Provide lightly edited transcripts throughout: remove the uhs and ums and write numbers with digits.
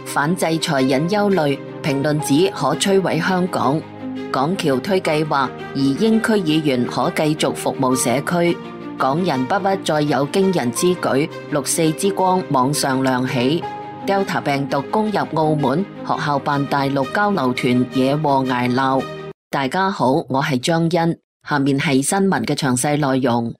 反制裁引憂慮，評論指可摧毀香港。港僑推計劃，移英區議員可繼續服務社區。港人不屈再有驚人之舉，6·4之光網上亮起。Delta 病毒攻入澳門，學校辦大陸交流團惹禍捱鬧。大家好，我係張欣，下面係新聞嘅詳細內容。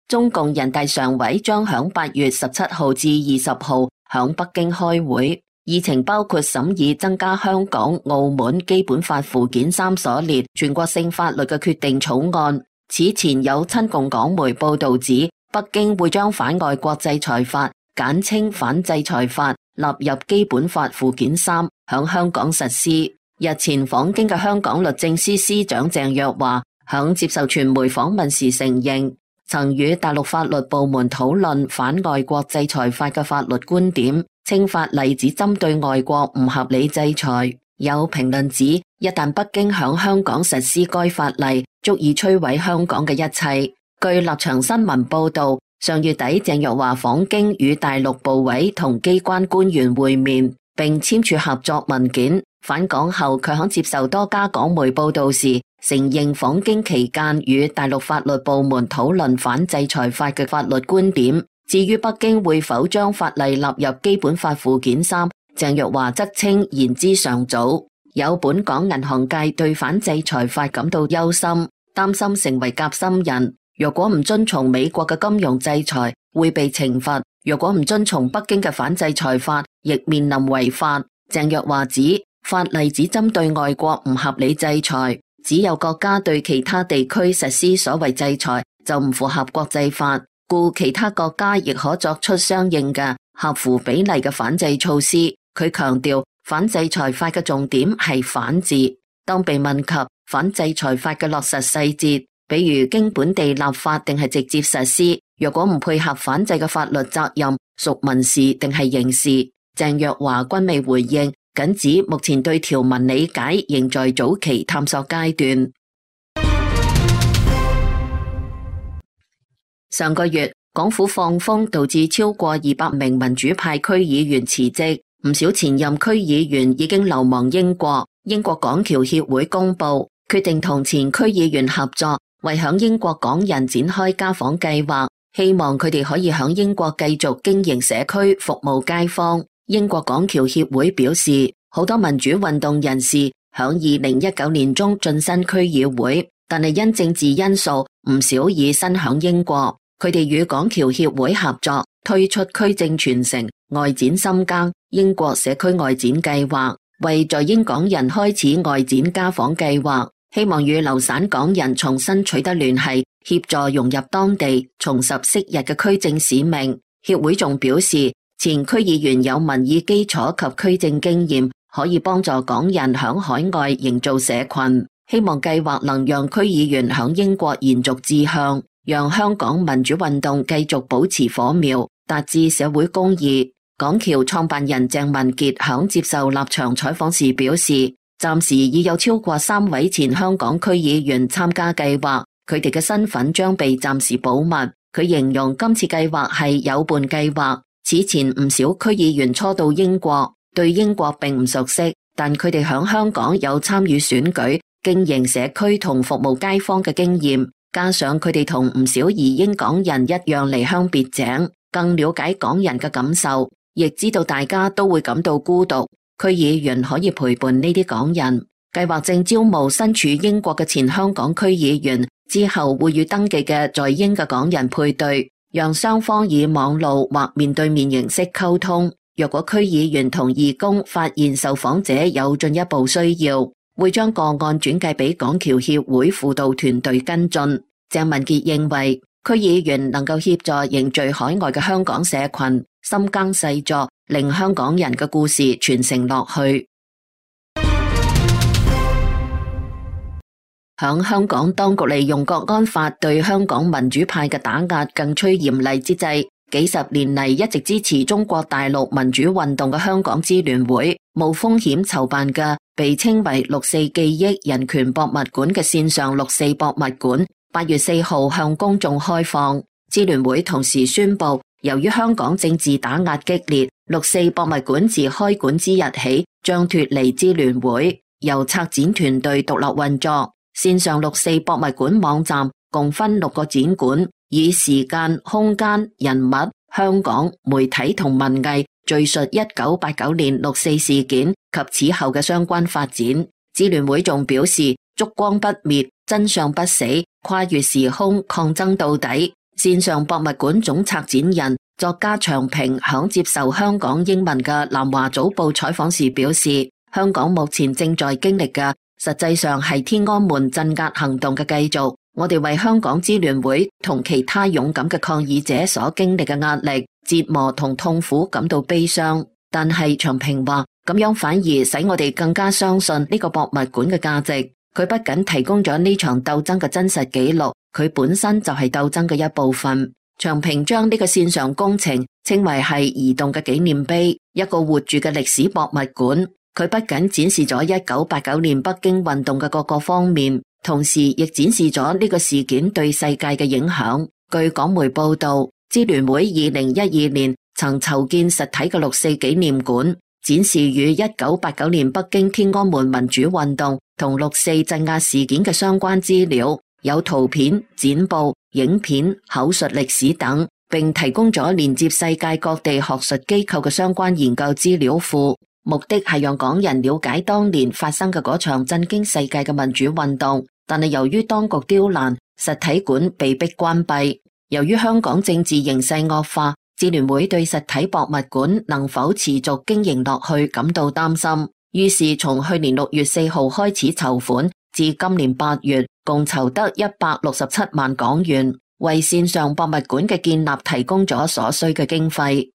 中共人大常委將響8月17號至20號響北京開會。議程包括審議增加香港、澳門基本法附件3所列全國性法律嘅決定草案。此前有親共港媒報道指，北京會將反外國制裁法，簡稱反制裁法，納入基本法附件3，響香港實施。日前訪京嘅香港律政司司長鄭若驊響接受傳媒訪問時承認，曾與大陸法律部門討論反外國制裁法嘅法律觀點，稱法例只針對外國唔合理制裁。有評論指，一旦北京響香港實施該法例，足以摧毀香港嘅一切。據立場新聞報道，上月底鄭若驊訪京與大陸部委同機關官員會面，並簽署合作文件。返港後，佢響接受多家港媒報道時，承認訪京期間與大陸法律部門討論反制裁法嘅法律觀點。至於北京會否將法例納入基本法附件3，鄭若驊則稱言之尚早。有本港銀行界對反制裁法感到憂心，擔心成為夾心人。若果唔遵從美國嘅金融制裁，會被懲罰；若果唔遵從北京嘅反制裁法，亦面臨違法。鄭若驊指，法例只針對外國唔合理制裁，只有國家對其他地區實施所謂制裁，就唔符合國際法。故其他國家亦可作出相應嘅合乎比例嘅反制措施。佢強調，反制裁法嘅重點係反字。當被問及反制裁法嘅落實細節，比如經本地立法定係直接實施，若果唔配合反制嘅法律責任，屬民事定係刑事，鄭若驊均未回應，僅指目前對條文理解仍在早期探索階段。上個月，港府放風導致超過200名民主派區議員辭職，唔少前任區議員已經流亡英國。英國港僑協會公佈，決定同前區議員合作，為響英國港人展開家訪計劃，希望佢哋可以響英國繼續經營社區，服務街坊。英國港僑協會表示，好多民主運動人士響2019年中晉身區議會，但係因政治因素，唔少已身響英國。佢哋與港僑協會合作，推出區政傳承、外展深耕、英國社區外展計劃，為在英港人開始外展家訪計劃，希望與流散港人重新取得聯繫，協助融入當地，重拾昔日嘅區政使命。協會仲表示，前區議員有民意基礎及區政經驗，可以幫助港人響海外營造社群，希望計劃能讓區議員響英國延續志向，讓香港民主運動繼續保持火苗，達至社會公義。港僑創辦人鄭文傑響接受立場採訪時表示，暫時已有超過3位前香港區議員參加計劃，佢哋嘅身份將被暫時保密。佢形容今次計劃係有伴計劃。此前唔少區議員初到英國，對英國並唔熟悉，但佢哋響香港有參與選舉、經營社區同服務街坊嘅經驗。加上佢哋同唔少移英港人一樣離鄉別井，更了解港人嘅感受，亦知道大家都會感到孤獨。區議員可以陪伴呢啲港人。計劃正招募身處英國嘅前香港區議員，之後會與登記嘅在英嘅港人配對，讓雙方以網路或面對面形式溝通。若果區議員同義工發現受訪者有進一步需要，會將個案轉介俾港僑協會輔導團隊跟進。鄭文傑認為，區議員能夠協助凝聚海外嘅香港社群，深耕細作，令香港人嘅故事傳承落去。響香港當局利用國安法對香港民主派嘅打壓更趨嚴厲之際，幾十年嚟一直支持中國大陸民主運動嘅香港支聯會，冒風險籌辦嘅被稱為六四記憶人權博物館嘅線上六四博物館，8月4號向公眾開放。支聯會同時宣布，由於香港政治打壓激烈，六四博物館自開館之日起將脫離支聯會，由策展團隊獨立運作。線上六四博物館網站共分6個展館，以時間、空間、人物、香港、媒體同文藝敘述1989年六四事件及此後嘅相關發展。支聯會仲表示，燭光不滅，真相不死，跨越時空，抗爭到底。線上博物館總策展人作家長平響接受香港英文嘅南華早報採訪時表示，香港目前正在經歷嘅實際上係天安門鎮壓行動嘅繼續。我哋為香港支聯會同其他勇敢嘅抗議者所經歷嘅壓力、折磨同痛苦感到悲傷，但係長平話，咁樣反而使我哋更加相信呢個博物館嘅價值。佢不僅提供咗呢場鬥爭嘅真實記錄，佢本身就係鬥爭嘅一部分。長平將呢個線上工程稱為係移動嘅紀念碑，一個活住嘅歷史博物館。佢不僅展示咗1989年北京運動嘅各個方面，同時亦展示咗呢個事件對世界嘅影響。據港媒報道，支聯會2012年曾籌建實體嘅六四紀念館，展示與1989年北京天安門民主運動同六四鎮壓事件嘅相關資料，有圖片、剪報、影片、口述歷史等，並提供咗連接世界各地學術機構嘅相關研究資料庫。目的係讓港人了解當年發生嘅嗰場震驚世界嘅民主運動，但係由於當局刁難，實體館被迫關閉。由於香港政治形勢惡化，支聯會對實體博物館能否持續經營落去感到擔心，於是從去年6月4號開始籌款，至今年8月共籌得167萬港元，為線上博物館嘅建立提供咗所需嘅經費。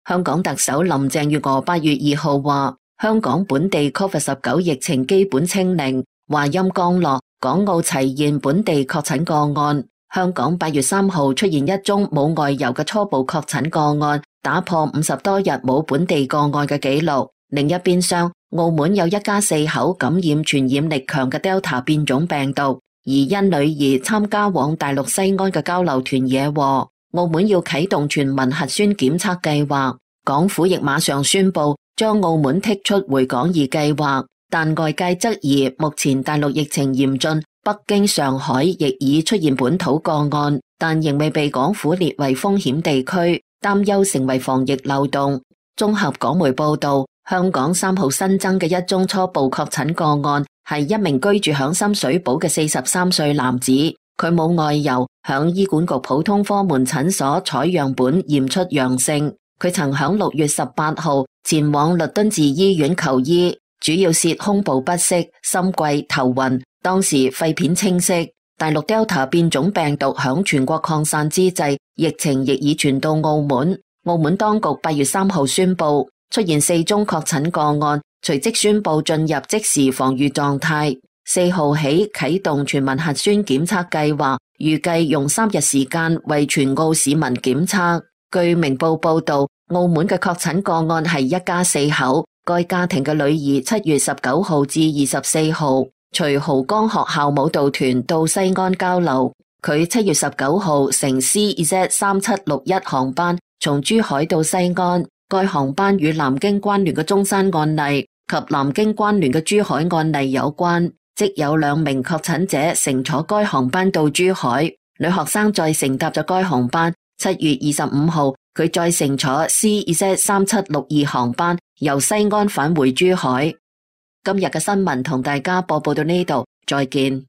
香港特首林鄭月娥8月2號話，香港本地 COVID-19 疫情基本清零，話音剛落，港澳齊現本地確診個案。香港8月3號出現一宗冇外遊嘅初步確診個案，打破50多日冇本地個案嘅紀錄。另一邊廂，澳門有一家4口感染傳染力強嘅 Delta 變種病毒，而因女兒參加往大陸西安嘅交流團惹禍。澳門要啟動全民核酸檢測計劃，港府亦馬上宣布將澳門剔出回港易計劃，但外界質疑目前大陸疫情嚴峻，北京、上海亦已出現本土個案，但仍未被港府列為風險地區，擔憂成為防疫漏洞。綜合港媒報道，香港3號新增嘅一宗初步確診個案係一名居住響深水埗嘅43歲男子。佢冇外遊，響醫管局普通科門診所採樣本驗出陽性。佢曾響6月18號前往律敦治醫院求醫，主要係胸部不適、心悸、頭暈，當時肺片清晰。大陸 Delta 變種病毒響全國擴散之際，疫情亦已傳到澳門。澳門當局8月3號宣布出現4宗確診個案，隨即宣布進入即時防禦狀態。4號起啟動全民核酸檢測計劃，預計用3日時間為全澳市民檢測。據明報報道，澳門嘅確診個案係一家4口，該家庭嘅女兒7月19號至24號隨濠江學校舞蹈團到西安交流。佢7月19號乘 CZ3761 航班從珠海到西安，該航班與南京關聯嘅中山案例及南京關聯嘅珠海案例有關。即有2名確診者乘坐該航班到珠海，女學生再乘搭咗該航班。7月25號，佢再乘坐 CZ3762 航班由西安返回珠海。今日嘅新聞同大家播報到呢度，再見。